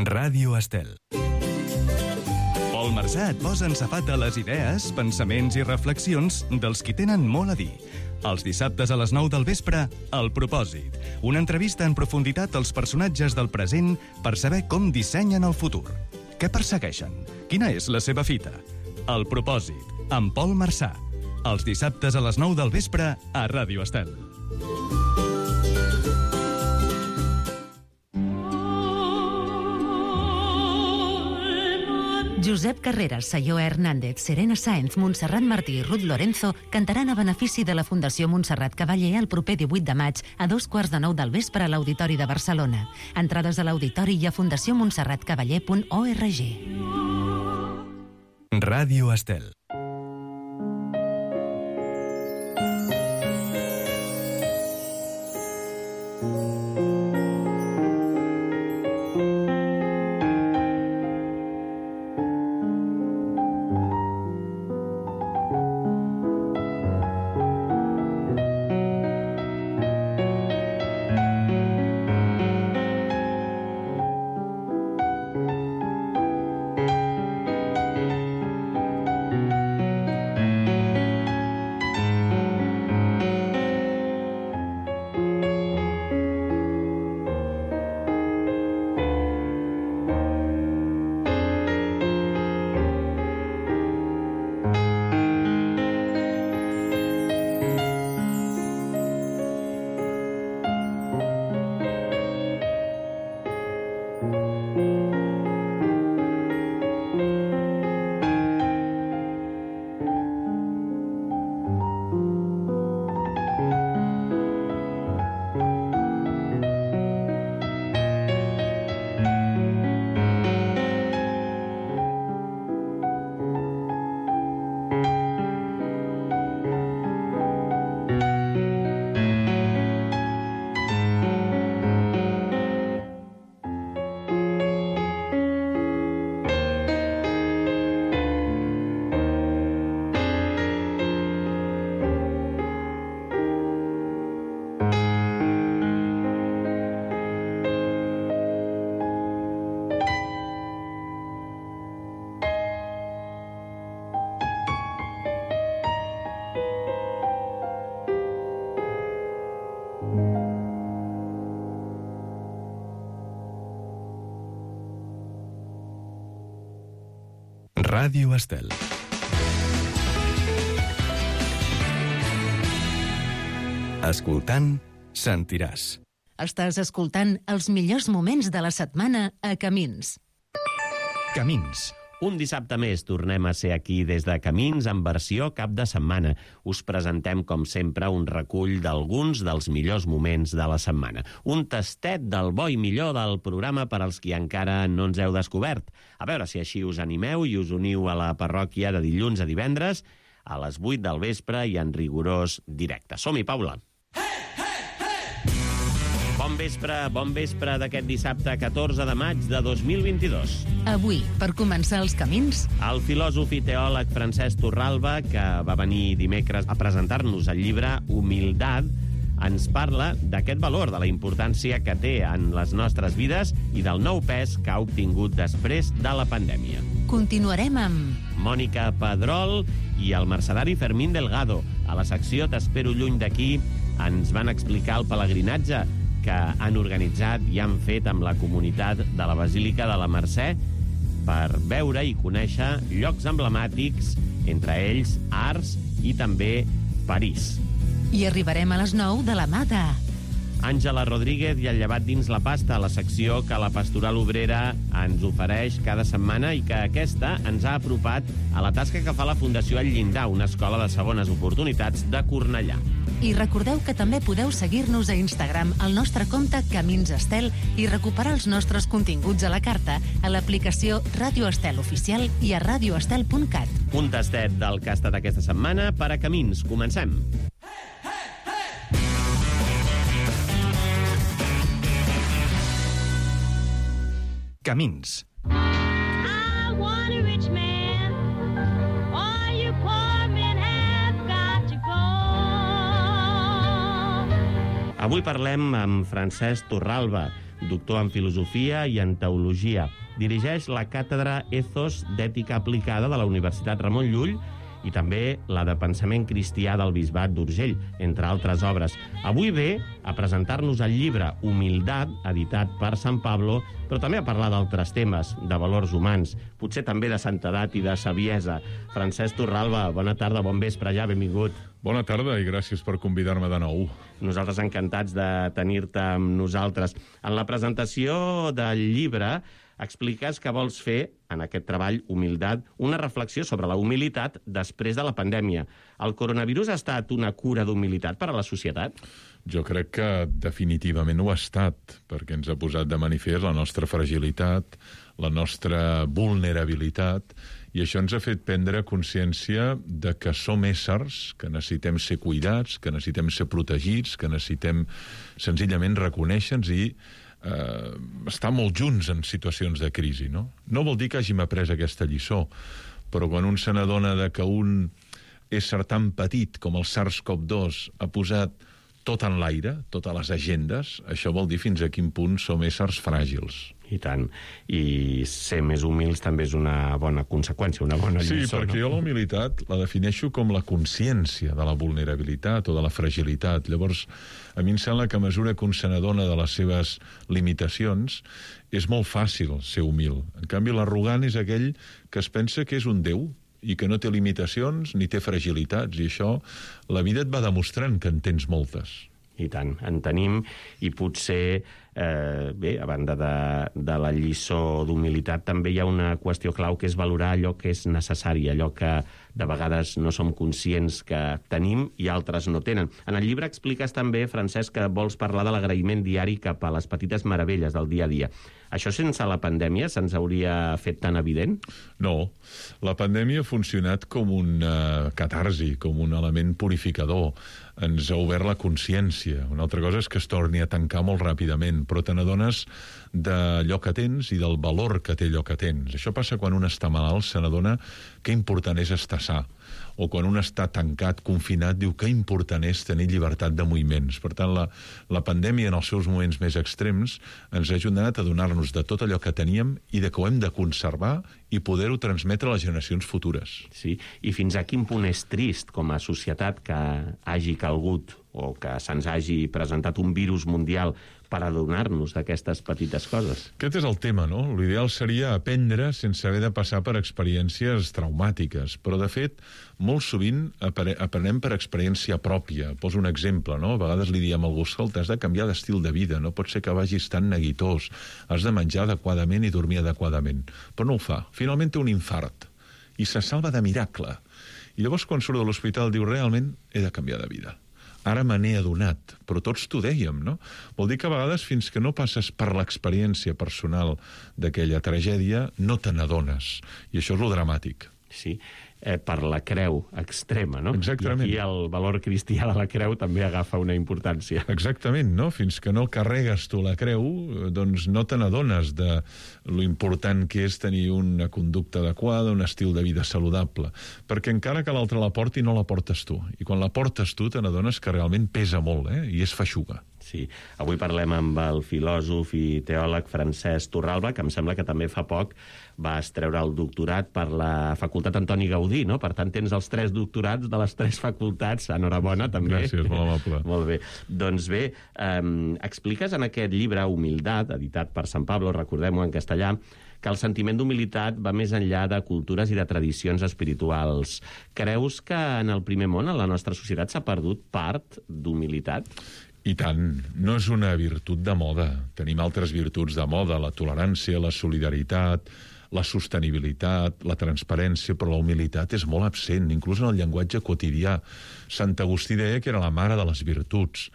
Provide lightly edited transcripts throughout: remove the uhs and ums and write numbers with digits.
Ràdio Estel. Pol Marsà et posa en safata les idees, pensaments i reflexions dels qui tenen molt a dir. Els dissabtes a les 9 del vespre, El Propòsit. Una entrevista en profunditat als personatges del present per saber com dissenyen el futur. Què persegueixen? Quina és la seva fita? El Propòsit, amb Pol Marsà. Els dissabtes a les 9 del vespre a Ràdio Estel. Josep Carreras, Sayó Hernández, Serena Sáenz, Montserrat Martí i Ruth Lorenzo cantaran a benefici de la Fundació Montserrat Cavaller el proper 18 de maig a 9:15 del vespre a l'Auditori de Barcelona. Entrades a l'Auditori i a fundacionmontserratcavaller.org. Ràdio Estel. Ràdio Estel. Escoltant, sentiràs. Estàs escoltant els millors moments de la setmana a Camins. Camins. Un dissabte més tornem a ser aquí des de Camins en versió cap de setmana. Us presentem, com sempre, un recull d'alguns dels millors moments de la setmana. Un tastet del bo i millor del programa per als qui encara no ens heu descobert. A veure si així us animeu i us uniu a la parròquia de dilluns a divendres a les 8 del vespre i en rigorós directe. Som-hi, Paula! Bon vespre d'aquest dissabte 14 de maig de 2022. Avui, per començar els camins, el filòsof i teòleg Francesc Torralba, que va venir dimecres a presentar-nos el llibre Humildad, ens parla d'aquest valor, de la importància que té en les nostres vides i del nou pes que ha obtingut després de la pandèmia. Continuarem amb Mònica Pedrol i el mercedari Fermín Delgado. A la secció T'espero lluny d'aquí ens van explicar el pelegrinatge que han organitzat i han fet amb la comunitat de la Basílica de la Mercè per veure i conèixer llocs emblemàtics, entre ells Ars i també París. I arribarem a les 9 de la mà de Àngela Rodríguez i el llevat dins la pasta, la secció que la Pastoral Obrera ens ofereix cada setmana i que aquesta ens ha apropat a la tasca que fa la Fundació El Llindar, una escola de segones oportunitats de Cornellà. I recordeu que també podeu seguir-nos a Instagram al nostre compte Camins Estel i recuperar els nostres continguts a la carta a l'aplicació Ràdio Estel Oficial i a radioestel.cat. Un tastet del que ha estat aquesta setmana per a Camins. Comencem. Camins. Avui parlem amb Francesc Torralba, doctor en filosofia i en teologia. Dirigeix la càtedra Ethos d'Ètica Aplicada de la Universitat Ramon Llull i també la de Pensament Cristià del Bisbat d'Urgell, entre altres obres. Avui ve a presentar-nos el llibre Humildat, editat per Sant Pablo, però també a parlar d'altres temes, de valors humans, potser també de santedat i de saviesa. Francesc Torralba, bona tarda, bon vespre ja, benvingut. Bona tarda i gràcies per convidar-me de nou. Nosaltres encantats de tenir-te amb nosaltres. En la presentació del llibre expliques que vols fer, en aquest treball, Humildat, una reflexió sobre la humilitat després de la pandèmia. El coronavirus ha estat una cura d'humilitat per a la societat? Jo crec que definitivament ho ha estat, perquè ens ha posat de manifest la nostra fragilitat, la nostra vulnerabilitat, i això ens ha fet prendre consciència de que som éssers, que necessitem ser cuidats, que necessitem ser protegits, que necessitem senzillament reconèixer-nos i estar molt junts en situacions de crisi, no? No vol dir que hàgim après aquesta lliçó, però quan un se n'adona que un ésser tan petit com el SARS-CoV-2 ha posat tot en l'aire, totes les agendes, això vol dir fins a quin punt som éssers fràgils. I tant. I ser més humils també és una bona conseqüència, una bona lliçó. Sí, perquè jo la humilitat la defineixo com la consciència de la vulnerabilitat o de la fragilitat. Llavors, a mi em sembla que a mesura que un se n'adona de les seves limitacions, és molt fàcil ser humil. En canvi, l'arrogant és aquell que es pensa que és un déu i que no té limitacions ni té fragilitats. I això, la vida et va demostrant que en tens moltes. I tant, en tenim, i potser, bé, a banda de la lliçó d'humilitat, també hi ha una qüestió clau que és valorar allò que és necessari, allò que de vegades no som conscients que tenim i altres no tenen. En el llibre expliques també, Francesc, que vols parlar de l'agraïment diari cap a les petites meravelles del dia a dia. Això sense la pandèmia se'ns hauria fet tan evident? No. La pandèmia ha funcionat com una catarsi, com un element purificador. Ens ha obert la consciència. Una altra cosa és que es torni a tancar molt ràpidament, però te n'adones d'allò que tens i del valor que té allò que tens. Això passa quan un està malalt, se n'adona que important és estar sa. O quan un està tancat, confinat, diu que important és tenir llibertat de moviments. Per tant, la pandèmia, en els seus moments més extrems, ens ha ajudat a donar-nos de tot allò que teníem i de que ho hem de conservar i poder-ho transmetre a les generacions futures. Sí, i fins a quin punt és trist, com a societat, que hagi calgut o que se'ns hagi presentat un virus mundial per adonar-nos d'aquestes petites coses. Aquest és el tema, no? L'ideal seria aprendre sense haver de passar per experiències traumàtiques, però, de fet, molt sovint aprenem per experiència pròpia. Poso un exemple, no? A vegades li diem a algú, escolta, has de canviar d'estil de vida, no pot ser que vagis tan neguitós, has de menjar adequadament i dormir adequadament. Però no ho fa. Finalment té un infart i se salva de miracle. I llavors, quan surt de l'hospital, diu, realment he de canviar de vida. Ara me n'he adonat, però tots t'ho dèiem, no? Vol dir que a vegades, fins que no passes per l'experiència personal d'aquella tragèdia, no te n'adones. I això és lo dramàtic. Sí, per la creu extrema, no? Exactament. I aquí el valor cristià de la creu també agafa una importància. Exactament, no? Fins que no carregues tu la creu, doncs no te n'adones de lo important que és tenir una conducta adequada, un estil de vida saludable. Perquè encara que l'altre la porti, no la portes tu. I quan la portes tu, te n'adones que realment pesa molt, i és feixuga. Sí, avui parlem amb el filòsof i teòleg Francesc Torralba, que em sembla que també fa poc vas treure el doctorat per la Facultat Antoni Gaudí, no? Per tant, tens els 3 doctorats de les 3 facultats. Enhorabona, també. Gràcies, molt amable. Molt bé. Doncs bé, expliques en aquest llibre, Humildat, editat per Sant Pablo, recordem-ho en castellà, que el sentiment d'humilitat va més enllà de cultures i de tradicions espirituals. Creus que en el primer món, en la nostra societat, s'ha perdut part d'humilitat? I tant, no és una virtut de moda. Tenim altres virtuts de moda, la tolerància, la solidaritat, la sostenibilitat, la transparència, però la humilitat és molt absent, inclús en el llenguatge quotidià. Sant Agustí deia que era la mare de les virtuts.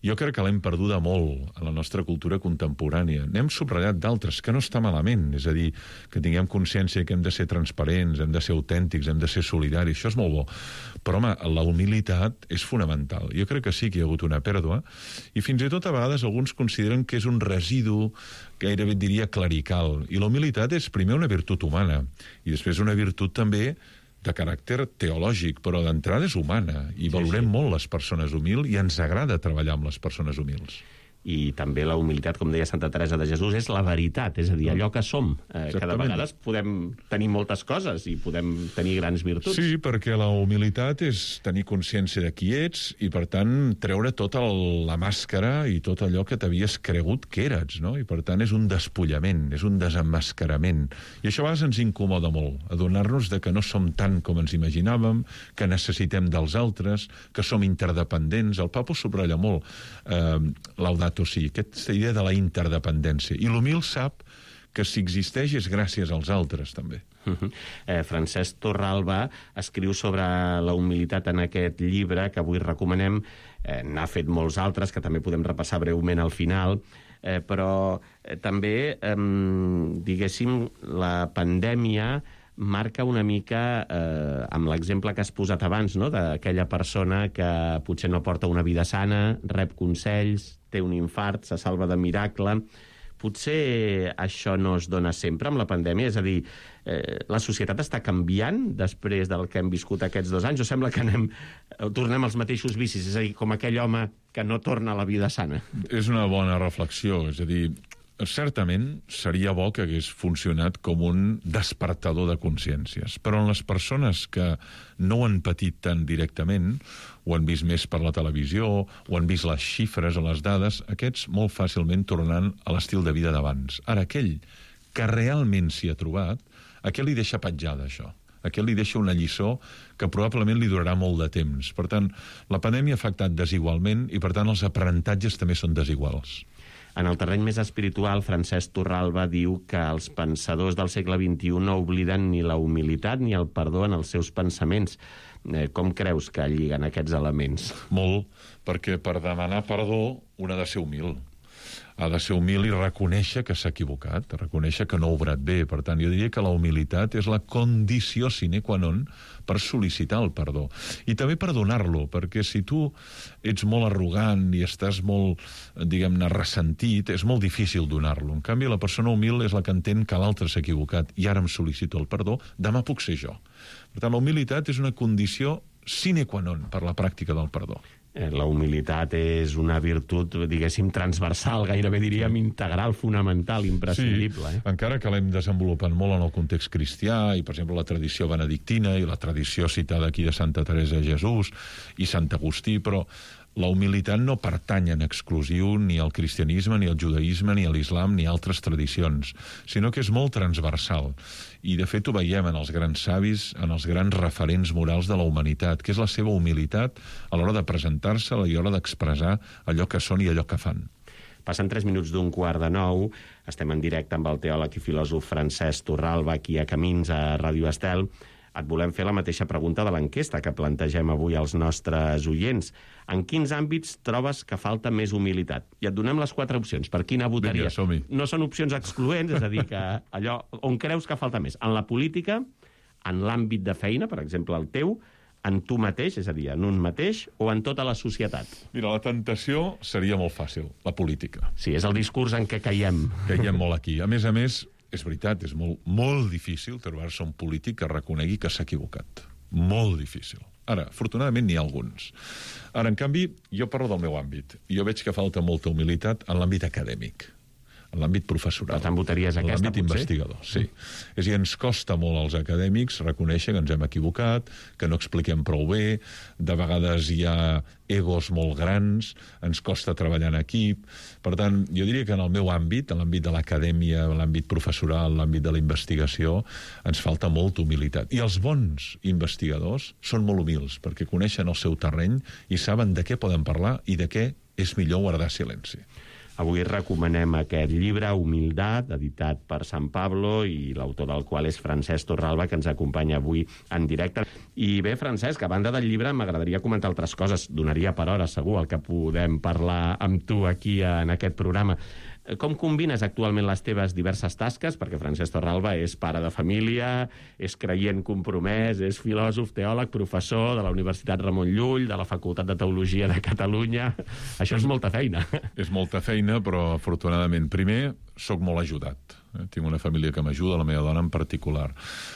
Jo crec que l'hem perduda molt a la nostra cultura contemporània. N'hem subratllat d'altres, que no està malament. És a dir, que tinguem consciència que hem de ser transparents, hem de ser autèntics, hem de ser solidaris. Això és molt bo. Però, home, la humilitat és fonamental. Jo crec que sí que hi ha hagut una pèrdua. I fins i tot a vegades alguns consideren que és un residu, gairebé diria clerical. I la humilitat és primer una virtut humana i després una virtut també de caràcter teològic, però d'entrada és humana, i valorem molt les persones humils i ens agrada treballar amb les persones humils. I també la humilitat, com deia Santa Teresa de Jesús, és la veritat, és a dir, allò que som. Que de vegades podem tenir moltes coses i podem tenir grans virtuts. Sí, perquè la humilitat és tenir consciència de qui ets i, per tant, treure tota la màscara i tot allò que t'havies cregut que eres, no? I, per tant, és un despullament, és un desemmascarament. I això a vegades ens incomoda molt, adonar-nos de que no som tant com ens imaginàvem, que necessitem dels altres, que som interdependents. El Papa subratlla molt Laudato Si, aquesta idea de la interdependència. I l'humil sap que si existeix és gràcies als altres, també. Francesc Torralba escriu sobre la humilitat en aquest llibre que avui recomanem. N'ha fet molts altres, que també podem repassar breument al final, però també, diguéssim, la pandèmia marca una mica, amb l'exemple que has posat abans, no?, d'aquella persona que potser no porta una vida sana, rep consells, té un infart, se salva de miracle. Potser això no es dona sempre amb la pandèmia, és a dir, la societat està canviant després del que hem viscut aquests 2 anys, o sembla que tornem als mateixos vicis, és a dir, com aquell home que no torna a la vida sana? És una bona reflexió, és a dir, certament seria bo que hagués funcionat com un despertador de consciències, però en les persones que no ho han patit tan directament, ho han vist més per la televisió, ho han vist les xifres o les dades, aquests molt fàcilment tornaran a l'estil de vida d'abans. Ara, aquell que realment s'hi ha trobat, aquell li deixa petjada, això. Aquell li deixa una lliçó que probablement li durarà molt de temps. Per tant, la pandèmia ha afectat desigualment i, per tant, els aprenentatges també són desiguals. En el terreny més espiritual, Francesc Torralba diu que els pensadors del segle XXI no obliden ni la humilitat ni el perdó en els seus pensaments. Com creus que lliguen aquests elements? Molt, perquè per demanar perdó un ha de ser humil. Ha de ser humil i reconèixer que s'ha equivocat, reconèixer que no ha obrat bé. Per tant, jo diria que la humilitat és la condició sine qua non per sol·licitar el perdó. I també per donar-lo, perquè si tu ets molt arrogant i estàs molt, diguem-ne, ressentit, és molt difícil donar-lo. En canvi, la persona humil és la que entén que l'altre s'ha equivocat i ara em sol·licito el perdó, demà puc ser jo. Per tant, la humilitat és una condició sine qua non per la pràctica del perdó. La humilitat és una virtut, diguéssim, transversal, gairebé diríem integral, fonamental, imprescindible. Sí, encara que l'hem desenvolupat molt en el context cristià, i, per exemple, la tradició benedictina i la tradició citada aquí de Santa Teresa de Jesús i Sant Agustí, però la humilitat no pertany en exclusiu ni al cristianisme, ni al judaïsme, ni a l'islam, ni a altres tradicions, sinó que és molt transversal. I, de fet, ho veiem en els grans savis, en els grans referents morals de la humanitat, que és la seva humilitat a l'hora de presentar-se i a l'hora d'expressar allò que són i allò que fan. Passen 3 minuts d'15:45. Estem en directe amb el teòleg i filòsof Francesc Torralba, aquí a Camins, a Ràdio Estel. Et volem fer la mateixa pregunta de l'enquesta que plantegem avui als nostres oients. En quins àmbits trobes que falta més humilitat? I et donem les 4 opcions. Per quina votaries? Vinga, som-hi. No són opcions excloents, és a dir, que allò on creus que falta més. En la política, en l'àmbit de feina, per exemple, el teu, en tu mateix, és a dir, en un mateix, o en tota la societat? Mira, la tentació seria molt fàcil, la política. Sí, és el discurs en què caiem. Caiem molt aquí. A més, és veritat, és molt difícil trobar-se un polític que reconegui que s'ha equivocat. Molt difícil. Ara, afortunadament n'hi ha alguns. Ara, en canvi, jo parlo del meu àmbit. Jo veig que falta molta humilitat en l'àmbit acadèmic, en l'àmbit professoral. Per tant, votaries aquesta, en l'àmbit investigador, sí. És a dir, ens costa molt als acadèmics reconèixer que ens hem equivocat, que no expliquem prou bé, de vegades hi ha egos molt grans, ens costa treballar en equip. Per tant, jo diria que en el meu àmbit, en l'àmbit de l'acadèmia, en l'àmbit professoral, en l'àmbit de la investigació, ens falta molta humilitat. I els bons investigadors són molt humils, perquè coneixen el seu terreny i saben de què poden parlar i de què és millor guardar silenci. Avui recomanem aquest llibre, Humildat, editat per Sant Pablo, i l'autor del qual és Francesc Torralba, que ens acompanya avui en directe. I bé, Francesc, a banda del llibre, m'agradaria comentar altres coses. Donaria per hora, segur, el que podem parlar amb tu aquí en aquest programa. Com combines actualment les teves diverses tasques? Perquè Francesc Torralba és pare de família, és creient compromès, és filòsof, teòleg, professor de la Universitat Ramon Llull, de la Facultat de Teologia de Catalunya. Això és molta feina. És molta feina, però afortunadament, primer, sóc molt ajudat. Tinc una família que m'ajuda, la meva dona en particular.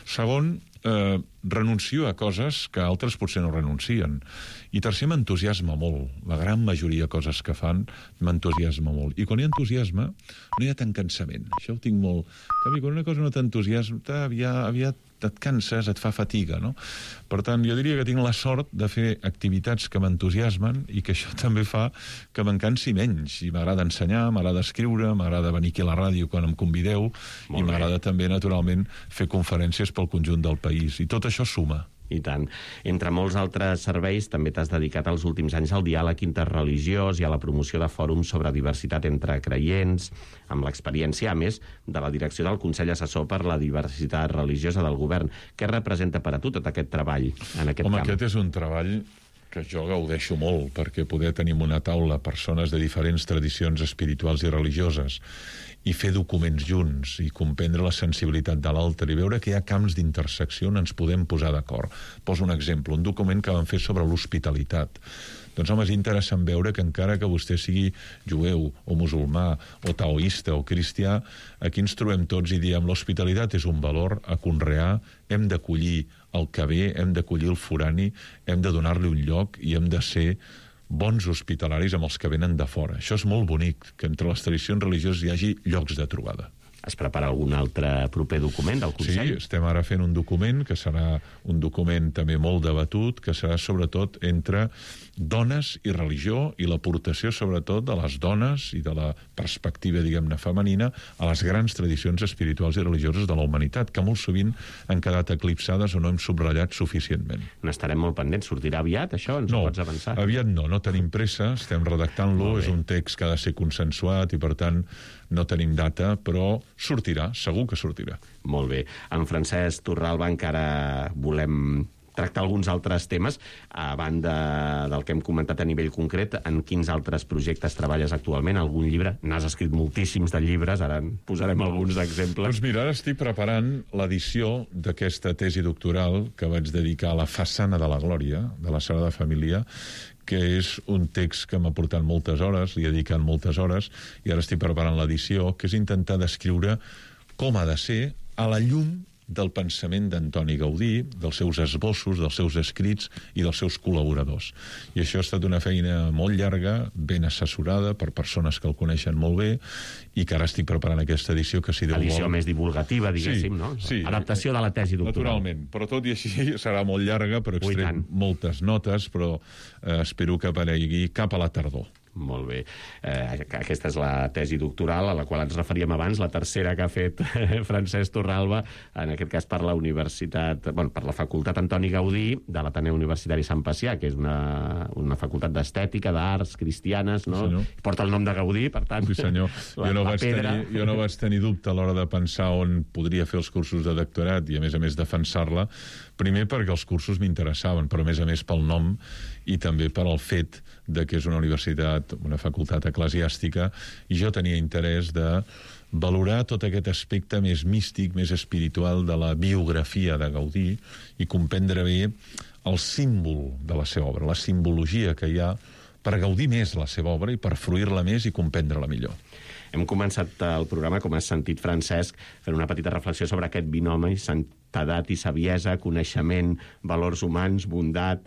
Segon, renuncio a coses que altres potser no renuncien. I tercer, m'entusiasma molt. La gran majoria de coses que fan m'entusiasma molt. I quan hi ha entusiasme, no hi ha tant cansament. Això ho tinc molt... Quan una cosa no t'entusiasma, aviat et canses, et fa fatiga, no? Per tant, jo diria que tinc la sort de fer activitats que m'entusiasmen i que això també fa que m'encansi menys. I m'agrada ensenyar, m'agrada escriure, m'agrada venir aquí a la ràdio quan em convideu i m'agrada també, naturalment, fer conferències pel conjunt del país. I tot això suma. I tant. Entre molts altres serveis, també t'has dedicat els últims anys al diàleg interreligiós i a la promoció de fòrums sobre diversitat entre creients, amb l'experiència, a més, de la direcció del Consell Assessor per la Diversitat Religiosa del Govern. Què representa per a tu tot aquest treball en aquest camp? Aquest és un treball que jo gaudeixo molt, perquè poder tenir en una taula persones de diferents tradicions espirituals i religioses i fer documents junts i comprendre la sensibilitat de l'altre i veure que hi ha camps d'intersecció on ens podem posar d'acord. Poso un exemple, un document que vam fer sobre l'hospitalitat. Doncs, home, és interessant veure que encara que vostè sigui jueu o musulmà o taoista o cristià, aquí ens trobem tots i diem l'hospitalitat és un valor a conrear, hem d'acollir el que ve, hem d'acollir el forani, hem de donar-li un lloc i hem de ser bons hospitalaris amb els que venen de fora. Això és molt bonic, que entre les tradicions religioses hi hagi llocs de trobada. Es prepara algun altre proper document del Consell? Sí, estem ara fent un document que serà un document també molt debatut, que serà sobretot entre dones i religió i l'aportació sobretot de les dones i de la perspectiva, diguem-ne, femenina a les grans tradicions espirituals i religioses de la humanitat, que molt sovint han quedat eclipsades o no hem subratllat suficientment. N'estarem molt pendents. Sortirà aviat, això? Ens ho pots avançar? No, aviat no tenim pressa, estem redactant-lo, és un text que ha de ser consensuat i, per tant, no tenim data, però sortirà, segur que sortirà. Molt bé. En Francesc Torralba encara volem tractar alguns altres temes. A banda del que hem comentat a nivell concret, en quins altres projectes treballes actualment? Algun llibre? N'has escrit moltíssims de llibres, ara en posarem alguns exemples. Doncs mira, ara estic preparant l'edició d'aquesta tesi doctoral que vaig dedicar a la façana de la Glòria, de la Sagrada Família, que és un text que m'ha portat moltes hores, li he dedicat moltes hores, i ara estic preparant l'edició, que és intentar descriure com ha de ser a la llum del pensament d'Antoni Gaudí, dels seus esbossos, dels seus escrits i dels seus col·laboradors. I això ha estat una feina molt llarga, ben assessorada per persones que el coneixen molt bé, i que ara estic preparant aquesta edició que, si Déu vol... Edició més divulgativa, diguéssim, no? Sí. Adaptació de la tesi doctoral. Naturalment, però tot i així serà molt llarga, però extrem moltes notes, però espero que aparegui cap a la tardor. Molt bé. Aquesta és la tesi doctoral a la qual ens referíem abans, la tercera que ha fet Francesc Torralba, en aquest cas per la Universitat, per la Facultat Antoni Gaudí de l'Ateneu Universitari Sant Pacià, que és una facultat d'estètica, d'arts cristianes, no? Sí, porta el nom de Gaudí, per tant... Sí, senyor. Jo no vaig tenir dubte a l'hora de pensar on podria fer els cursos de doctorat i, a més, defensar-la. Primer perquè els cursos m'interessaven, però a més pel nom i també per al fet de que és una universitat, una facultat eclesiàstica, i jo tenia interès de valorar tot aquest aspecte més místic, més espiritual de la biografia de Gaudí i comprendre bé el símbol de la seva obra, la simbologia que hi ha per gaudir més la seva obra i per fruir-la més i comprendre-la millor. Hem començat el programa, com has sentit, Francesc, fent una petita reflexió sobre aquest binomi, santedat i saviesa, coneixement, valors humans, bondat...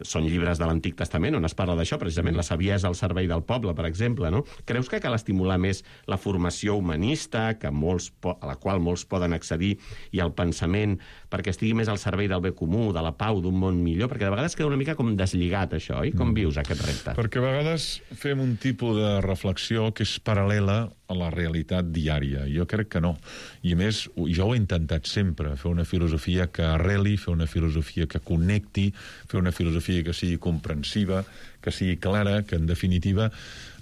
Són llibres de l'Antic Testament on es parla d'això, precisament la saviesa al servei del poble, per exemple, no? Creus que cal estimular més la formació humanista, a la qual molts poden accedir, i el pensament, perquè estigui més al servei del bé comú, de la pau, d'un món millor? Perquè de vegades queda una mica com deslligat, això, oi? Com vius aquest repte? Perquè a vegades fem un tipus de reflexió que és paral·lela a la realitat diària. Jo crec que no. I a més, jo ho he intentat sempre, fer una filosofia que arreli, fer una filosofia que connecti, fer una filosofia que sigui comprensiva, que sigui clara, que en definitiva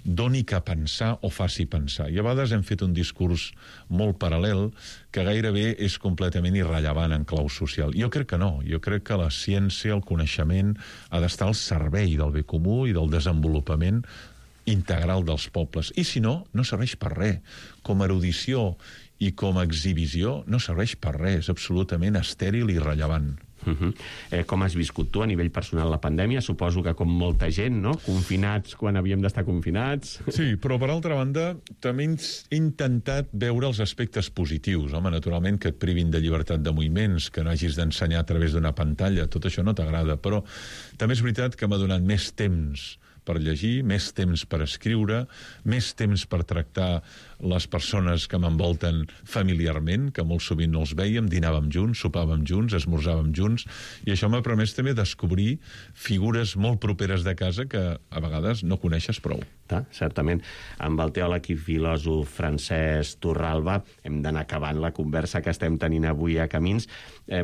doni que pensar o faci pensar. I a vegades hem fet un discurs molt paral·lel que gairebé és completament irrellevant en clau social. Jo crec que no. Jo crec que la ciència, el coneixement, ha d'estar al servei del bé comú i del desenvolupament integral dels pobles. I si no, no serveix per res. Com a erudició i com a exhibició no serveix per res. És absolutament estèril i irrellevant. Com has viscut tu a nivell personal la pandèmia? Suposo que com molta gent, no? Confinats quan havíem d'estar confinats. Sí, però per altra banda també he intentat veure els aspectes positius. Home, naturalment que et privin de llibertat de moviments, que no hagis d'ensenyar a través d'una pantalla, tot això no t'agrada, però també és veritat que m'ha donat més temps per llegir, més temps per escriure, més temps per tractar les persones que m'envolten familiarment, que molt sovint no els veiem, dinàvem junts, sopàvem junts, esmorzàvem junts, i això m'ha permès també descobrir figures molt properes de casa que a vegades no coneixes prou. Certament. Amb el teòleg i filòsof Francesc Torralba hem d'anar acabant la conversa que estem tenint avui a Camins.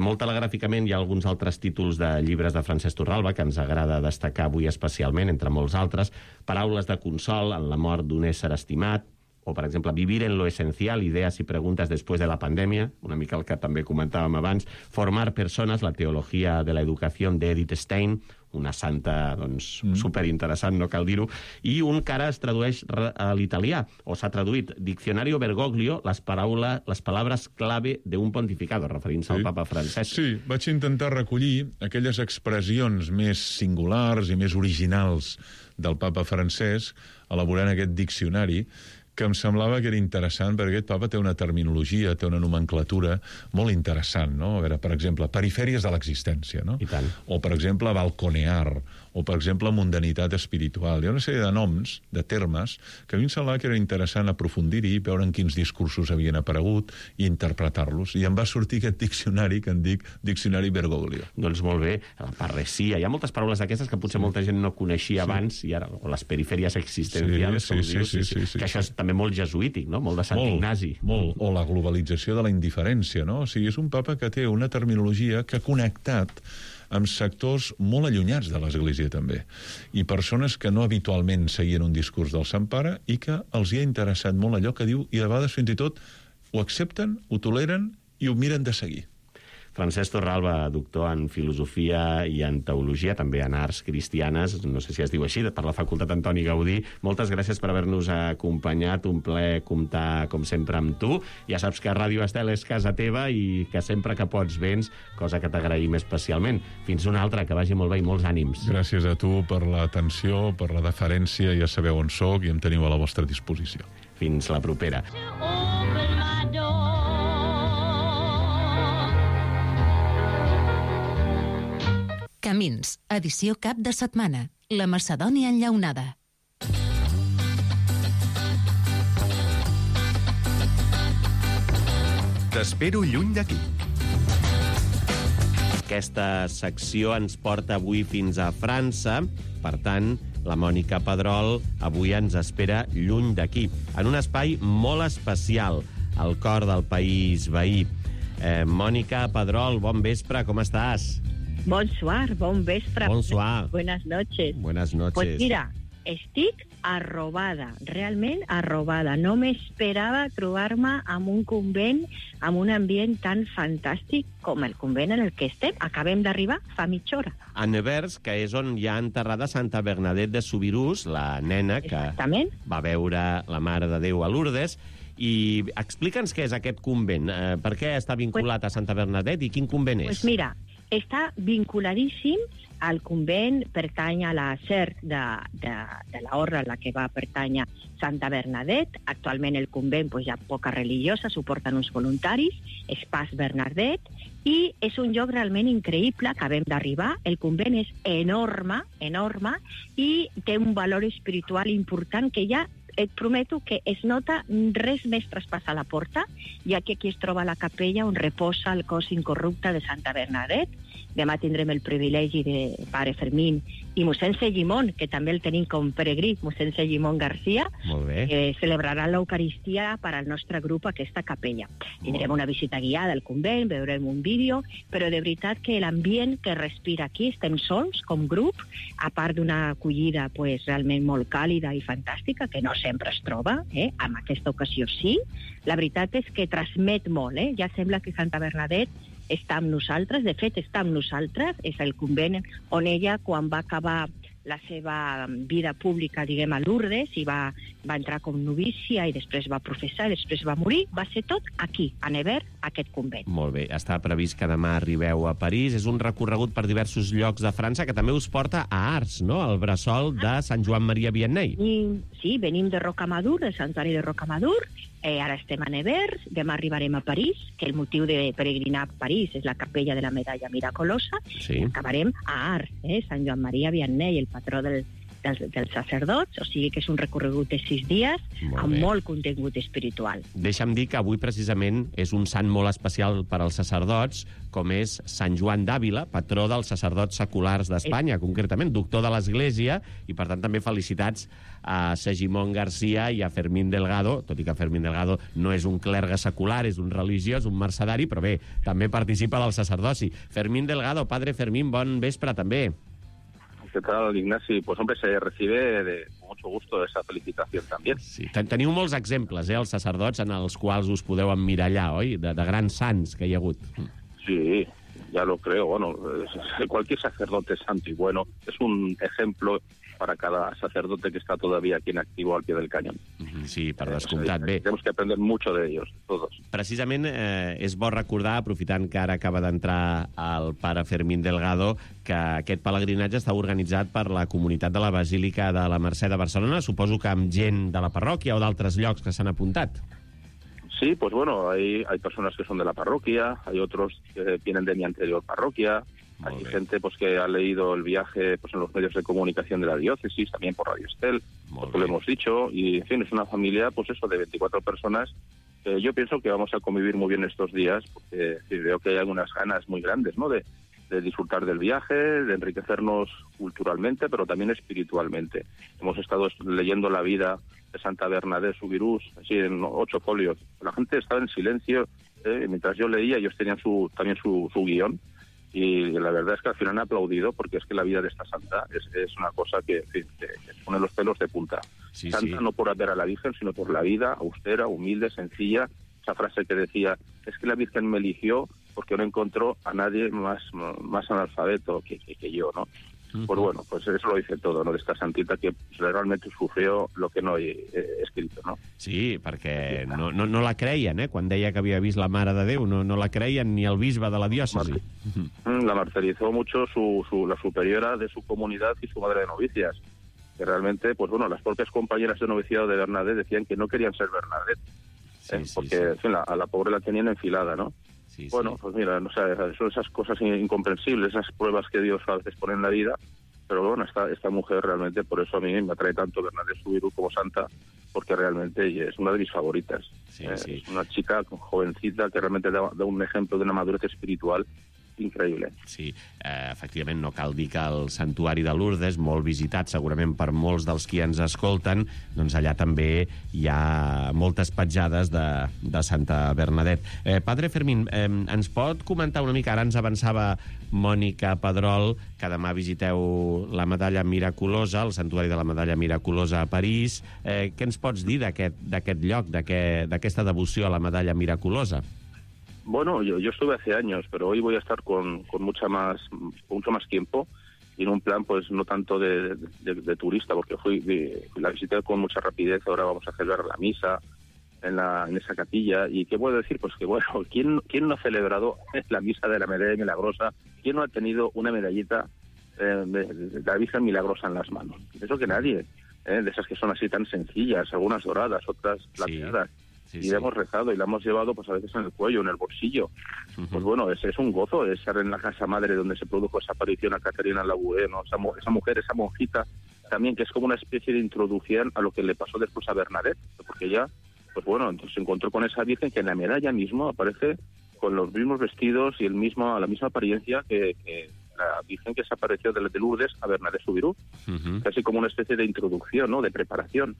Molt telegràficament hi ha alguns altres títols de llibres de Francesc Torralba que ens agrada destacar avui especialment, entre molts altres. Paraules de consol en la mort d'un ésser estimat, o, per exemple, Vivir en lo esencial, ideas y preguntas después de la pandemia, una mica el que també comentàvem abans, Formar personas, la teologia de la educació d'Edith Stein, una santa, doncs, superinteressant, no cal dir-ho, i un que ara es tradueix a l'italià, o s'ha traduït, Diccionario Bergoglio, les palabras clave de un pontificado, referint-se al papa Francesc. Sí, vaig intentar recollir aquelles expressions més singulars i més originals del papa Francesc, elaborant aquest diccionari, que em semblava que era interessant, perquè aquest papa té una terminologia, té una nomenclatura molt interessant, no? A veure, per exemple, perifèries de l'existència, no? I tant. O, per exemple, balconear, o, per exemple, mundanitat espiritual. Hi ha una sèrie de noms, de termes, que a mi em semblava que era interessant aprofundir-hi, veure en quins discursos havien aparegut i interpretar-los. I em va sortir aquest diccionari que en dic Diccionari Bergoglio. Doncs molt bé, la parresia. Hi ha moltes paraules d'aquestes que potser molta gent no coneixia abans, i ara, o les perifèries existencials, com dius, que això és també molt jesuític, no? Molt de Sant Ignasi. Molt. O la globalització de la indiferència, no? O sigui, és un papa que té una terminologia que ha connectat amb sectors molt allunyats de l'Església, també. I persones que no habitualment seguien un discurs del Sant Pare i que els hi ha interessat molt allò que diu i de vegades fins i tot ho accepten, ho toleren i ho miren de seguir. Francesc Torralba, doctor en filosofia i en teologia, també en arts cristianes, no sé si es diu així, per la Facultat Antoni Gaudí. Moltes gràcies per haver-nos acompanyat, un plaer comptar, com sempre, amb tu. Ja saps que Ràdio Estel és casa teva i que sempre que pots vens, cosa que t'agraïm especialment. Fins una altra, que vagi molt bé i molts ànims. Gràcies a tu per l'atenció, per la deferència, ja sabeu on sóc i em teniu a la vostra disposició. Fins la propera. Camins, edició cap de setmana. La Macedònia enllaunada. T'espero lluny d'aquí. Aquesta secció ens porta avui fins a França. Per tant, la Mònica Pedrol avui ens espera lluny d'aquí, en un espai molt especial, al cor del país veí. Mònica Pedrol, bon vespre, com estàs? Bonsoir, bon vespre. Bonsoir. Buenas noches. Buenas noches. Pues mira, estic arrobada, realment arrobada. No m'esperava trobar-me en un convent, amb un ambient tan fantàstic com el convent en el que estem. Acabem d'arribar fa mitja hora. A Nevers, que és on hi ha enterrada Santa Bernadette de Subirús, la nena que va veure la Mare de Déu a Lourdes. I explica'ns què és aquest convent. Per què està vinculat a Santa Bernadette i quin convent és? Pues mira, està vinculadíssim al convent, pertany a la SER de la Horra, la que va pertànyer Santa Bernadette. Actualment el convent hi ha poca religiosa, suporten uns voluntaris, és Pas Bernadette, i és un lloc realment increïble, acabem d'arribar. El convent és enorme, enorme, i té un valor espiritual important que ja et prometo que es nota res més traspassar la porta, ja que aquí es troba la capella on reposa el cos incorrupte de Santa Bernadette. Demà tindrem el privilegi de Pare Fermín i mossèn Segimon, que també el tenim com peregrí, mossèn Segimon Garcia, que celebrarà l'Eucaristia per al nostre grup a aquesta capella. Tindrem una visita guiada al convent, veurem un vídeo, però de veritat que l'ambient que respira aquí, estem sols com grup, a part d'una acollida realment molt càlida i fantàstica, que no sempre es troba, en aquesta ocasió sí. La veritat és que transmet molt, ja sembla que Santa Bernadette està amb nosaltres, de fet està amb nosaltres, és el convent on ella, quan va acabar la seva vida pública, diguem, a Lourdes, i va entrar com novícia i després va professar i després va morir. Va ser tot aquí, a Nevers, aquest convent. Molt bé, està previst que demà arribeu a París. És un recorregut per diversos llocs de França que també us porta a Ars, no?, al bressol de Sant Joan Maria Vianney. Sí, venim de Rocamadour, del santuari de Rocamadour, ara estem a Nevers, demà arribarem a París, que el motiu de peregrinar a París és la capella de la medalla miraculosa, Sí. i acabarem a Ars, Sant Joan Maria Vianney, el patró dels sacerdots, o sigui que és un recorregut de 6 dies amb molt contingut espiritual. Deixa'm dir que avui precisament és un sant molt especial per als sacerdots, com és Sant Joan d'Àvila, patró dels sacerdots seculars d'Espanya, concretament, doctor de l'Església, i per tant també felicitats a Segimon Garcia i a Fermín Delgado, tot i que Fermín Delgado no és un clergue secular, és un religiós, un mercedari, però bé, també participa del sacerdoci. Fermín Delgado, padre Fermín, bon vespre també. ¿Qué tal, Ignasi? Pues hombre, se recibe con mucho gusto esa felicitación también. Sí. Teniu molts exemples, els sacerdots, en els quals us podeu emmirallar, oi? De grans sants que hi ha hagut. Sí, ya lo creo. Bueno, cualquier sacerdote santo y bueno es un ejemplo para cada sacerdote que está todavía aquí en activo al pie del cañón. Sí, per descomptat. Bé, tenemos que aprender mucho de ellos, todos. precisament és bo recordar, aprofitant que ara acaba d'entrar el pare Fermín Delgado, que aquest pelegrinatge està organitzat per la comunitat de la Basílica de la Mercè de Barcelona, suposo que amb gent de la parròquia o d'altres llocs que s'han apuntat. Sí, pues bueno, hay personas que son de la parroquia, hay otros que vienen de mi anterior parroquia, hay gente pues que ha leído el viaje pues en los medios de comunicación de la diócesis, también por Radio Estel, pues lo hemos dicho, y en fin, es una familia pues eso de 24 personas. Yo pienso que vamos a convivir muy bien estos días, porque veo que hay algunas ganas muy grandes, ¿no?, de disfrutar del viaje, de enriquecernos culturalmente, pero también espiritualmente. Hemos estado leyendo la vida de Santa Bernadette Soubirous, así en 8 folios. La gente estaba en silencio, mientras yo leía, ellos tenían también su guión, y la verdad es que al final han aplaudido, porque es que la vida de esta santa es una cosa que pone los pelos de punta. Sí, Santa sí. no por ver a la Virgen, sino por la vida austera, humilde, sencilla. Esa frase que decía, es que la Virgen me eligió porque no encontró a nadie más analfabeto que yo, ¿no? Pues bueno, pues eso lo dice todo, ¿no?, de esta santita que realmente sufrió lo que no he escrito, ¿no? Sí, perquè no la creien, quan deia que havia vist la Mare de Déu, no la creien ni el bisbe de la diòcesi. La martirizó mucho la superiora de su comunidad y su madre de novicias, que realmente, pues bueno, las propias compañeras de noviciado de Bernadette decían que no querían ser Bernadette, porque en fin, a la pobre la tenían enfilada, ¿no? Sí, bueno, pues mira, o sea, son esas cosas incomprensibles, esas pruebas que Dios a veces pone en la vida, pero bueno, esta mujer realmente, por eso a mí me atrae tanto Bernadette Soubirous como santa, porque realmente ella es una de mis favoritas. Sí. Es una chica jovencita que realmente da un ejemplo de una madurez espiritual increïble. Sí, efectivament no cal dir que el santuari de Lourdes, molt visitat segurament per molts dels qui ens escolten, doncs allà també hi ha moltes petjades de Santa Bernadette. Padre Fermín, ens pot comentar una mica, ara ens avançava Mònica Pedrol, que demà visiteu la Medalla Miraculosa, el santuari de la Medalla Miraculosa a París. Què ens pots dir d'aquest lloc, d'aquesta devoció a la Medalla Miraculosa? Bueno, yo estuve hace años, pero hoy voy a estar con mucho más tiempo y en un plan pues no tanto de turista, porque la visité con mucha rapidez. Ahora vamos a celebrar la misa en esa capilla. ¿Y qué puedo decir? Pues que bueno, ¿quién no ha celebrado la misa de la Medalla Milagrosa? ¿Quién no ha tenido una medallita de la Virgen Milagrosa en las manos? Eso que nadie, de esas que son así tan sencillas, algunas doradas, otras plateadas. Sí, y la hemos rezado y la hemos llevado pues a veces en el cuello, en el bolsillo. Pues bueno, es un gozo estar en la casa madre donde se produjo esa aparición a Caterina Labouré, ¿no? Esa mujer, esa monjita, también que es como una especie de introducción a lo que le pasó después a Bernadette, porque ella, pues bueno, entonces se encontró con esa Virgen que en la medalla mismo aparece con los mismos vestidos y la misma apariencia que la Virgen que se apareció de Lourdes a Bernadette Soubirous, casi como una especie de introducción, ¿no?, de preparación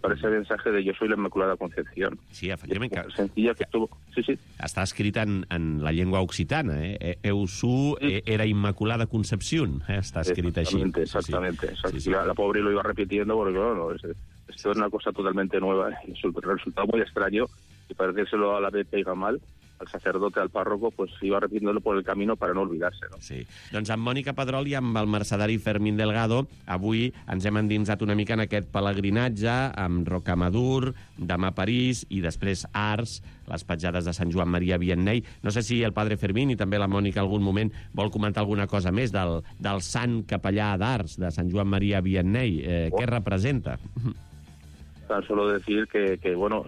para ese mensaje de yo soy la Inmaculada Concepción. Sí, efectivament. Que sencilla que estuvo... Sí. Està escrit en la llengua occitana, Eu su era Inmaculada Concepción, està escrit així. Exactamente. Sí. La pobre lo iba repitiendo porque, bueno, esto es una cosa totalmente nueva. El resultado muy extraño y parecérselo a la BP Gamal, sacerdote, al párroco, pues iba repitiéndolo por el camino para no olvidarse, ¿no? Sí. Doncs amb Mònica Pedrol i amb el mercedari Fermín Delgado, avui ens hem endinsat una mica en aquest pelegrinatge amb Rocamadour, demà París i després Ars, les petjades de Sant Joan Maria Vianney. No sé si el padre Fermín i també la Mònica algun moment vol comentar alguna cosa més del sant capellà d'Ars, de Sant Joan Maria Vianney. Què representa? Tan solo decir que bueno,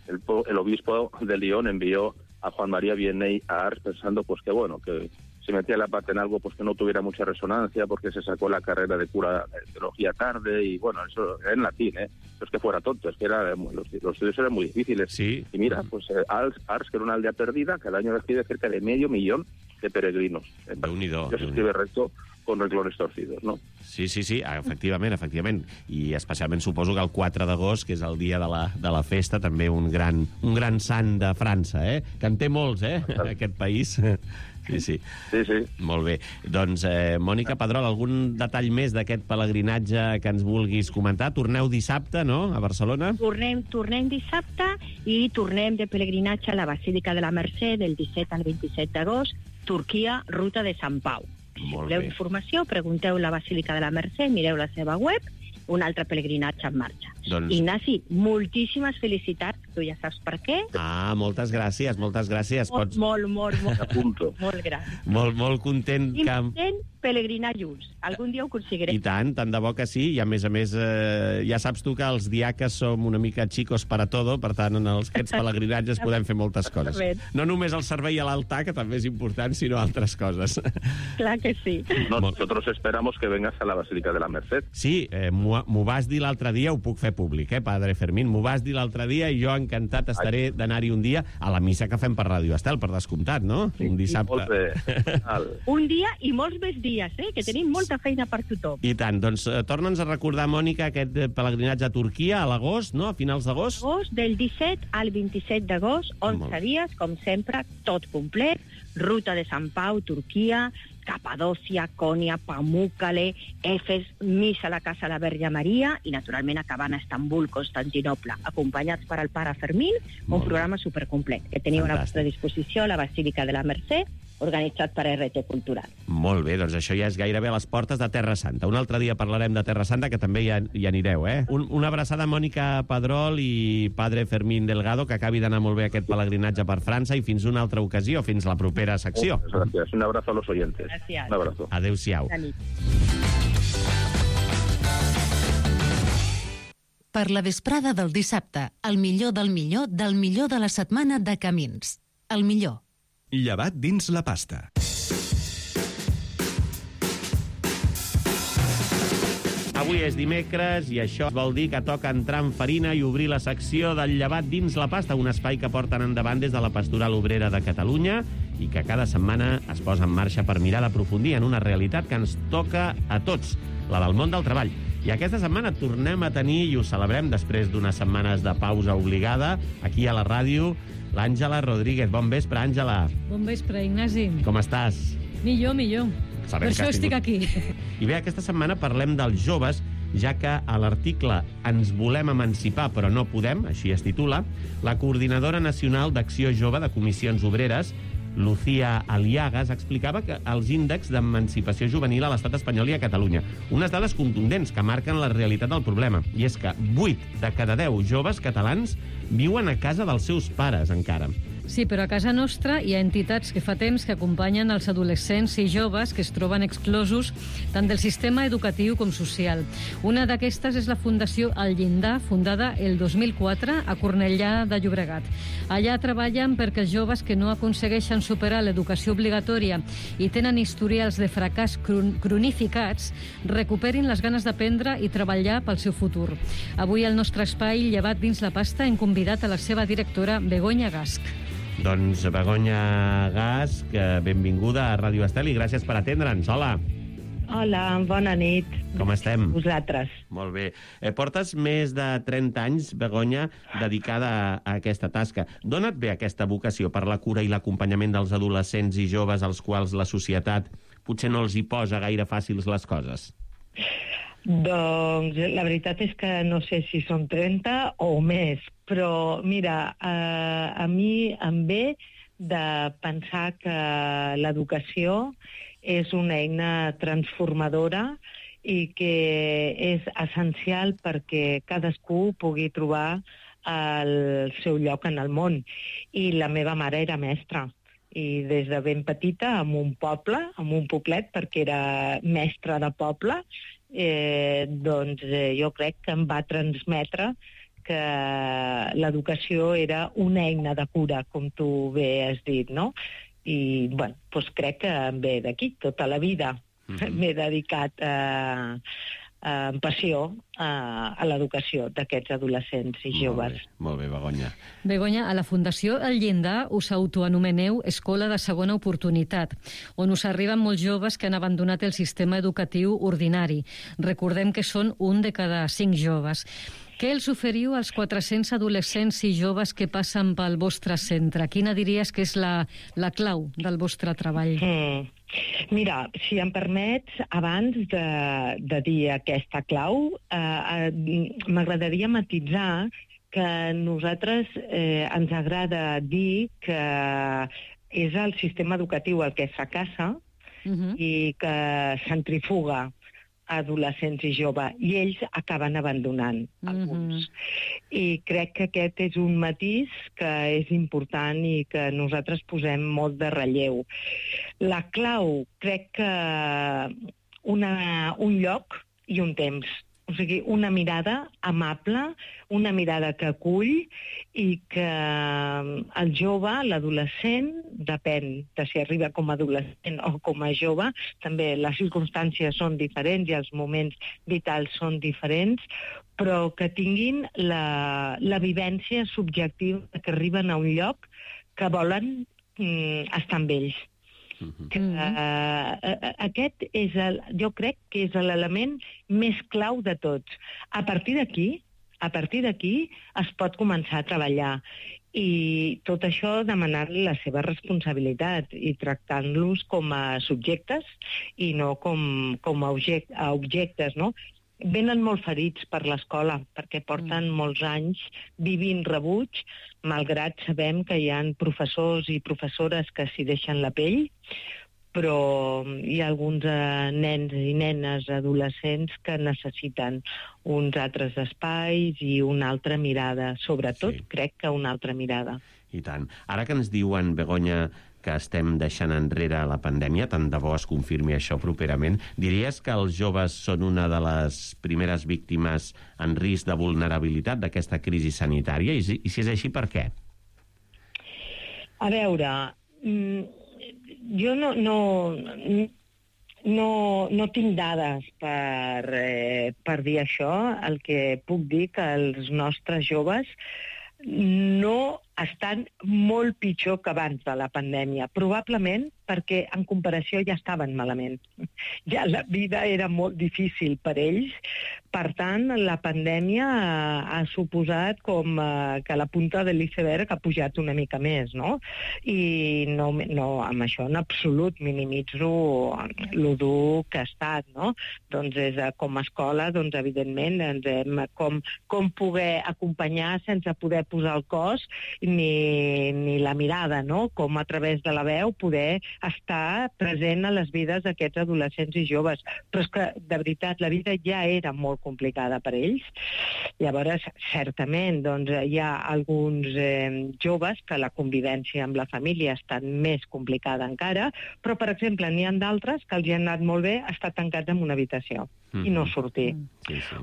el obispo de Lyon envió a Juan María Vianney a Ars pensando pues que bueno, que se metía la pata en algo pues que no tuviera mucha resonancia porque se sacó la carrera de cura de teología tarde y bueno, eso era en latín, no es que fuera tonto, es que los estudios eran muy difíciles. Sí. Y mira, pues Ars, que era una aldea perdida, cada año recibe cerca de 500.000 de peregrinos. Déu-n'hi-do. Que se escribe recto con renglones torcidos, no? Sí, efectivament. I especialment suposo que el 4 d'agost, que és el dia de la festa, també un gran sant de França, que en té molts, aquest país. Sí. Molt bé. Doncs, Mònica Pedrol, algun detall més d'aquest pelegrinatge que ens vulguis comentar? Torneu dissabte, no?, a Barcelona? Tornem dissabte i tornem de pelegrinatge a la Basílica de la Mercè del 17 al 27 d'agost, Turquia, ruta de Sant Pau. Si voleu informació, pregunteu la Basílica de la Mercè, mireu la seva web, un altre pelegrinatge en marxa. Doncs... Ignasi, moltíssimes felicitats, tu ja saps per què. Moltes gràcies. Molt gràcies. Molt content que... Intent pelegrinar junts. Algun dia ho aconseguirem. I tant de bo que sí, i a més, ja saps tu que els diaques som una mica chicos para todo, per tant, en aquests pelegrinatges podem fer moltes coses. No només el servei a l'altar, que també és important, sinó altres coses. Clar que sí. Nosotros esperamos que vengas a la Basílica de la Merced. Sí, m'ho vas dir l'altre dia, ho puc fer públic, padre Fermín, m'ho vas dir l'altre dia i jo encantat estaré d'anar-hi un dia a la missa que fem per Ràdio Estel, per descomptat, no? Sí, un dissabte. Un dia i molts més dies, que tenim molta feina per tothom. I tant, doncs torna'ns a recordar, Mònica, aquest pelegrinatge a Turquia a l'agost, no?, a finals d'agost? Del 17 al 27 d'agost, 11 dies, com sempre, tot complet, ruta de Sant Pau, Turquia, Capadòcia, Cònia, Pamukkale, Efes, missa a la Casa de la Verge Maria i, naturalment, acabant a Estambul, Constantinople, acompanyats per el pare Fermín, un programa supercomplet que teniu a la vostra disposició a la Basílica de la Mercè, organitzat per RT Cultural. Molt bé, doncs això ja és gairebé a les portes de Terra Santa. Un altre dia parlarem de Terra Santa, que també hi anireu, Una abraçada a Mònica Pedrol i padre Fermín Delgado, que acabi d'anar molt bé aquest pelegrinatge per França i fins una altra ocasió, fins la propera secció. Gràcies. Un abrazo a los oyentes. Gràcies. Un abrazo. Adéu-siau. Per la vesprada del dissabte, el millor del millor de la setmana de Camins. El millor. Llevat dins la pasta. Avui és dimecres i això vol dir que toca entrar en farina i obrir la secció del llevat dins la pasta, un espai que porten endavant des de la Pastoral Obrera de Catalunya i que cada setmana es posa en marxa per mirar d'aprofundir en una realitat que ens toca a tots, la del món del treball. I aquesta setmana tornem a tenir, i ho celebrem després d'unes setmanes de pausa obligada, aquí a la ràdio, l'Àngela Rodríguez. Bon vespre, Àngela. Bon vespre, Ignasi. Com estàs? Millor. Sabem per això estic aquí. I bé, aquesta setmana parlem dels joves, ja que a l'article Ens volem emancipar però no podem, així es titula, la Coordinadora Nacional d'Acció Jove de Comissions Obreres, Lucía Aliagas, explicava que els índexs d'emancipació juvenil a l'estat espanyol i a Catalunya. Unes dades contundents que marquen la realitat del problema. I és que 8 de cada 10 joves catalans viuen a casa dels seus pares, encara. Sí, però a casa nostra hi ha entitats que fa temps que acompanyen els adolescents i joves que es troben exclosos tant del sistema educatiu com social. Una d'aquestes és la Fundació El Llindar, fundada el 2004 a Cornellà de Llobregat. Allà treballen perquè els joves que no aconsegueixen superar l'educació obligatòria i tenen historials de fracàs cronificats recuperin les ganes d'aprendre i treballar pel seu futur. Avui al nostre espai, llevat dins la pasta, hem convidat a la seva directora, Begoña Gasch. Doncs Begoña Gasch, benvinguda a Ràdio Estel i gràcies per atendre'ns. Hola. Hola, bona nit. Com estem? Vosaltres. Molt bé. Portes més de 30 anys, Begoña, dedicada a aquesta tasca. D'on et ve aquesta vocació per la cura i l'acompanyament dels adolescents i joves als quals la societat potser no els hi posa gaire fàcils les coses? Doncs la veritat és que no sé si són 30 o més, però mira, a mi em ve de pensar que l'educació és una eina transformadora i que és essencial perquè cadascú pugui trobar el seu lloc en el món. I la meva mare era mestra. I des de ben petita, en un poble, en un poblet, perquè era mestra de poble, jo crec que em va transmetre que l'educació era una eina de cura, com tu bé has dit, no? I, doncs crec que em ve d'aquí. Tota la vida m'he dedicat amb passió a l'educació d'aquests adolescents i joves. Molt bé, Begoña. Begoña, a la Fundació El Llindar us autoanomeneu Escola de Segona Oportunitat, on us arriben molts joves que han abandonat el sistema educatiu ordinari. Recordem que són 1 de cada 5 joves. Què els oferiu als 400 adolescents i joves que passen pel vostre centre? Quina diries que és la clau del vostre treball? Mira, si em permets, abans de dir aquesta clau, m'agradaria matisar que a nosaltres ens agrada dir que és el sistema educatiu el que fracassa i que centrifuga adolescents i joves, i ells acaben abandonant alguns. I crec que aquest és un matís que és important i que nosaltres posem molt de relleu. La clau, crec que un lloc i un temps. O sigui, una mirada amable, una mirada que acull i que el jove, l'adolescent, depèn de si arriba com a adolescent o com a jove, també les circumstàncies són diferents i els moments vitals són diferents, però que tinguin la vivència subjectiva que arriben a un lloc que volen estar amb ells. Aquest és jo crec que és l'element més clau de tots. A partir d'aquí es pot començar a treballar, i tot això demanant la seva responsabilitat i tractant-los com a subjectes i no com a objectes, no? Venen molt ferits per l'escola perquè porten molts anys vivint rebuig, malgrat sabem que hi ha professors i professores que s'hi deixen la pell, però hi ha alguns nens i nenes adolescents que necessiten uns altres espais i una altra mirada. Sobretot, crec que una altra mirada. I tant. Ara que ens diuen, Begoña, que estem deixant enrere la pandèmia, tant de bo es confirmi això properament, diries que els joves són una de les primeres víctimes en risc de vulnerabilitat d'aquesta crisi sanitària? I si és així, per què? A veure, jo no tinc dades per dir això. El que puc dir que els nostres joves no estan molt pitjor que abans de la pandèmia. Probablement perquè en comparació ja estaven malament. Ja la vida era molt difícil per ells. Per tant, la pandèmia ha suposat com que la punta de l'iceberg ha pujat una mica més, no? I no amb això en absolut minimitzo lo dur que ha estat, no? Doncs com a escola, doncs evidentment ens hem com poder acompanyar sense poder posar el cos ni la mirada, no? Com a través de la veu poder estar present a les vides d'aquests adolescents i joves. Però és que, de veritat, la vida ja era molt complicada per ells. Llavors, certament, doncs, hi ha alguns joves que la convivència amb la família ha estat més complicada encara, però, per exemple, n'hi ha d'altres que els hi ha anat molt bé estar tancats en una habitació i no sortir.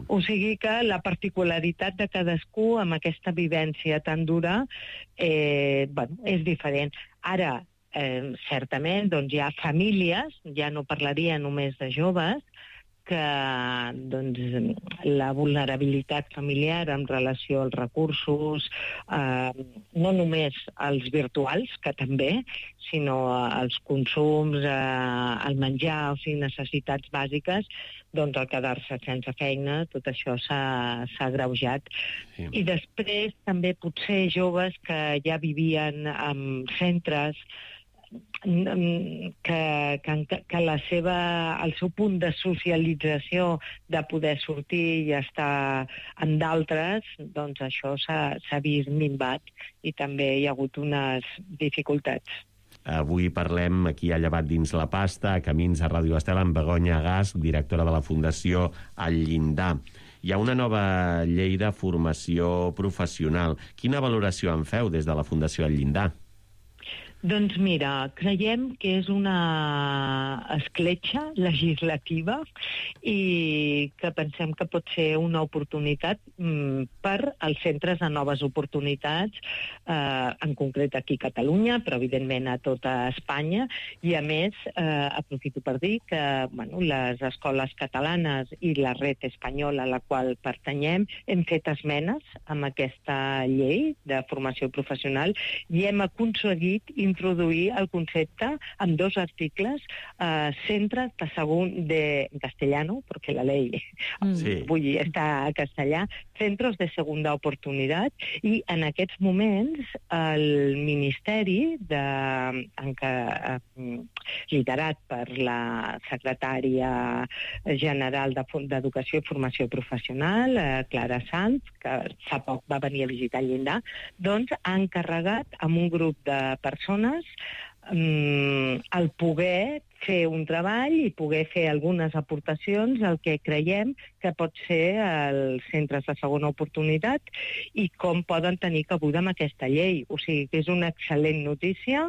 O sigui que la particularitat de cadascú amb aquesta vivència tan dura és diferent. Ara, certament, doncs hi ha famílies, ja no parlaria només de joves, que doncs, la vulnerabilitat familiar en relació als recursos, no només als virtuals, que també, sinó als consums, al menjar, o sigui, necessitats bàsiques, doncs al quedar-se sense feina, tot això s'ha agreujat. Sí. I després també potser joves que ja vivien en centres el seu punt de socialització, de poder sortir i estar amb d'altres, doncs això s'ha vist minvat i també hi ha hagut unes dificultats. Avui parlem aquí a Llevat dins la pasta, a Camins a Ràdio Estel, amb Begoña Gasch, directora de la Fundació El Llindar. Hi ha una nova llei de formació professional. Quina valoració en feu des de la Fundació El Llindar? Doncs mira, creiem que és una escletxa legislativa i que pensem que pot ser una oportunitat per als centres de noves oportunitats, en concret aquí a Catalunya, però evidentment a tota Espanya, i a més aprofito per dir que les escoles catalanes i la red espanyola a la qual pertanyem hem fet esmenes amb aquesta llei de formació professional i hem aconseguit introduir el concepte amb 2 articles, centres de en castellano, perquè la ley està a castellà, centros de segunda oportunitat, i en aquests moments el Ministeri, liderat per la secretària general d'Educació i Formació Professional, Clara Sanz, que fa poc va venir a visitar el Llindar, doncs ha encarregat amb un grup de persones el poder fer un treball i poder fer algunes aportacions al que creiem que pot ser els centres de segona oportunitat i com poden tenir cabuda amb aquesta llei. O sigui que és una excel·lent notícia.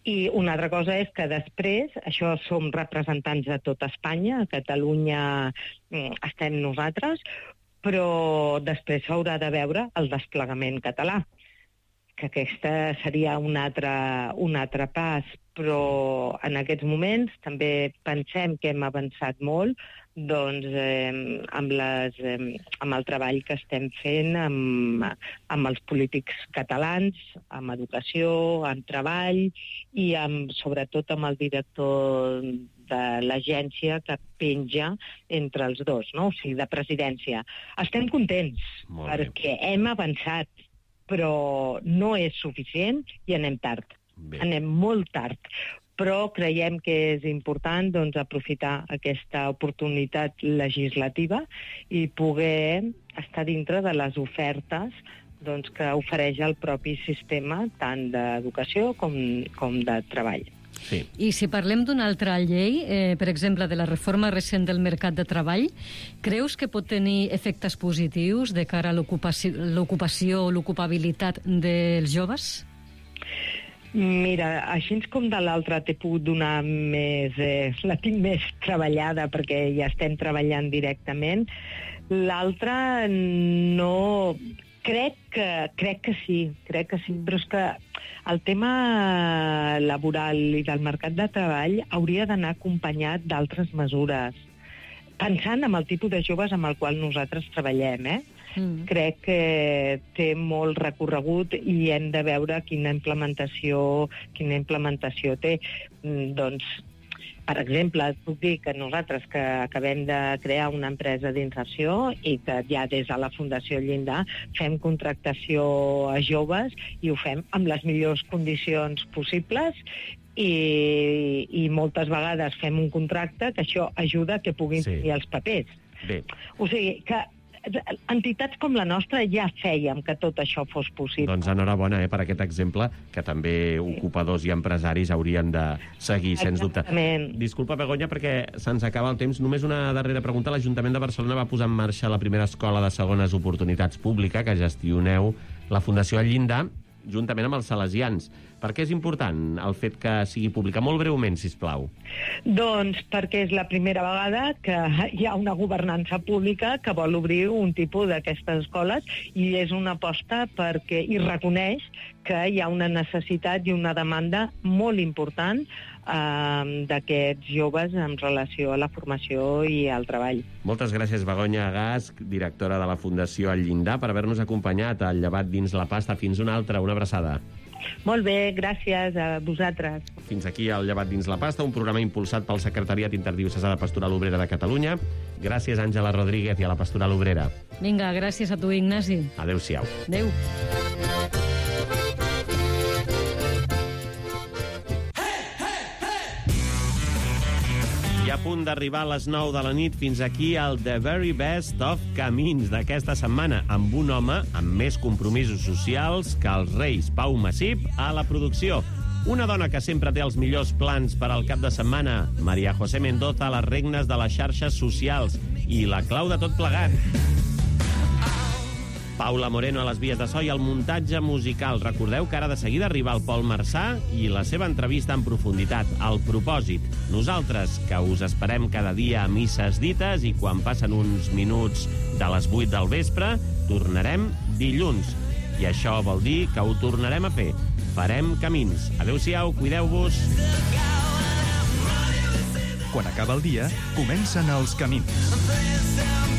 I una altra cosa és que després, això som representants de tot Espanya, a Catalunya estem nosaltres, però després s'haurà de veure el desplegament català, que aquesta seria un altre pas, però en aquests moments també pensem que hem avançat molt doncs, amb el treball que estem fent amb els polítics catalans, amb educació, amb treball i sobretot amb el director de l'agència que penja entre els dos, no? O sigui, de presidència. Estem contents perquè hem avançat, però no és suficient i anem tard. Anem molt tard. Però creiem que és important aprofitar aquesta oportunitat legislativa i poder estar dintre de les ofertes que ofereix el propi sistema, tant d'educació com de treball. Sí. I si parlem d'una altra llei, per exemple, de la reforma recent del mercat de treball, creus que pot tenir efectes positius de cara a l'ocupació o l'ocupabilitat dels joves? Mira, així com de l'altra t'he pogut donar més... la tinc més treballada perquè ja estem treballant directament. L'altra no... Crec que sí, però és que el tema laboral i del mercat de treball hauria d'anar acompanyat d'altres mesures. Pensant en el tipus de joves amb el qual nosaltres treballem, crec que té molt recorregut i hem de veure quina implementació té. Doncs, per exemple, et puc dir que nosaltres que acabem de crear una empresa d'inserció i que ja des de la Fundació Llindar fem contractació a joves i ho fem amb les millors condicions possibles i moltes vegades fem un contracte que això ajuda que puguin tenir els papers. O sigui que entitats com la nostra ja fèiem que tot això fos possible. Doncs enhorabona per aquest exemple, que també ocupadors i empresaris haurien de seguir, sens dubte. Disculpa, Begoña, perquè se'ns acaba el temps. Només una darrera pregunta. L'Ajuntament de Barcelona va posar en marxa la primera escola de segones oportunitats pública que gestioneu la Fundació El Llindar, juntament amb els salesians. Per què és important el fet que sigui pública? Molt breument, sisplau. Doncs perquè és la primera vegada que hi ha una governança pública que vol obrir un tipus d'aquestes escoles i és una aposta perquè hi reconeix que hi ha una necessitat i una demanda molt important d'aquests joves en relació a la formació i al treball. Moltes gràcies, Begoña Gasch, directora de la Fundació El Llindar, per haver-nos acompanyat al Llevat dins la pasta. Fins una altra, una abraçada. Molt bé, gràcies a vosaltres. Fins aquí el Llevat dins la pasta, un programa impulsat pel Secretariat Interdiocesà de Pastoral Obrera de Catalunya. Gràcies, Àngela Rodríguez, i a la Pastoral Obrera. Vinga, gràcies a tu, Ignasi. Adéu-siau. Adéu. punt d'arribar a les 9 de la nit. Fins aquí el The Very Best of Camins d'aquesta setmana, amb un home amb més compromisos socials que els Reis. Pau Massip a la producció. Una dona que sempre té els millors plans per al cap de setmana, María José Mendoza a les regnes de les xarxes socials. I la clau de tot plegat, Paula Moreno a les vies de so i el muntatge musical. Recordeu que ara de seguida arriba el Pol Marçà i la seva entrevista en profunditat, El propòsit. Nosaltres, que us esperem cada dia a misses dites i quan passen uns minuts de les 8 del vespre, tornarem dilluns. I això vol dir que ho tornarem a fer. Farem camins. Adéu-siau, cuideu-vos. Quan acaba el dia, comencen els camins.